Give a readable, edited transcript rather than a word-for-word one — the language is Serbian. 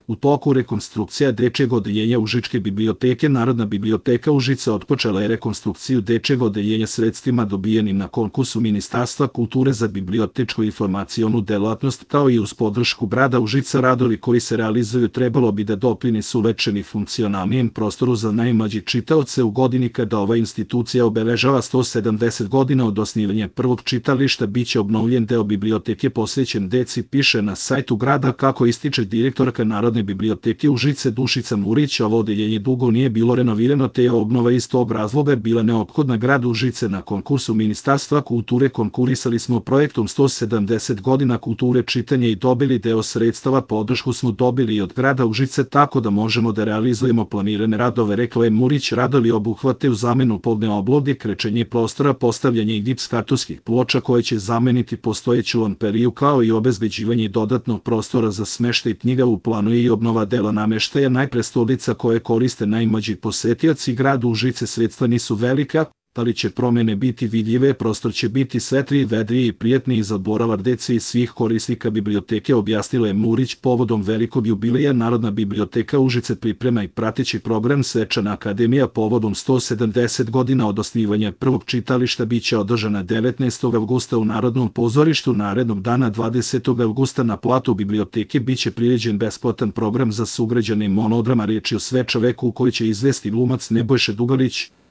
U toku rekonstrukcija dečjeg odeljenja Užičke biblioteke Narodna biblioteka Užice otpočela je rekonstrukciju dečjeg odeljenja sredstvima dobijenim na konkursu Ministarstva kulture za bibliotečko-informacionu delatnost, kao i uz podršku grada Užica. Radovi koji se realizuju trebalo bi da doprinesu uvećani funkcionalnijem prostoru za najmlađe čitaoce u godini kada ova institucija obeležava 170 godina od osnivanja prvog čitališta. Biće obnovljen deo biblioteke posvećen deci, piše na sajtu grada. Kako ističe direktorka Narodne biblioteke Užice Dušica Murić, ovo odeljenje dugo nije bilo renovirano, te je obnova iz tog razloga bila neophodna gradu Užice. Na konkursu Ministarstva kulture konkurisali smo projektom 170 godina kulture čitanja i dobili deo sredstava. Podršku smo dobili i od grada Užice, tako da možemo da realizujemo planirane radove, rekla je Murić. Radovi obuhvataju zamenu podne obloge, krečenje prostora, postavljanje gips kartonskih ploča koje će zameniti postojeću lamperiju, kao i obezbeđivanje dodatnog prostora za smeštaj knjiga. U planu je i obnova dela nameštaja najprestolnica koje koriste najmlađi posetioci gradu Užice. Sredstva nisu velika, ali će promene biti vidljive, prostor će biti svetliji, vedriji i prijatniji za boravak dece i svih korisnika biblioteke, objasnila je Murić. Povodom velikog jubileja Narodna biblioteka Užice priprema i prateći program Svečana akademija povodom 170 godina od osnivanja prvog čitališta. Biće održana 19. avgusta u Narodnom pozorištu. Narednog dana 20. avgusta na platu biblioteke biće priređen besplatan program za sugrađane monodrama. Riječ je o Sveča veku u kojoj će izvesti glumac Nebojša Dugalić.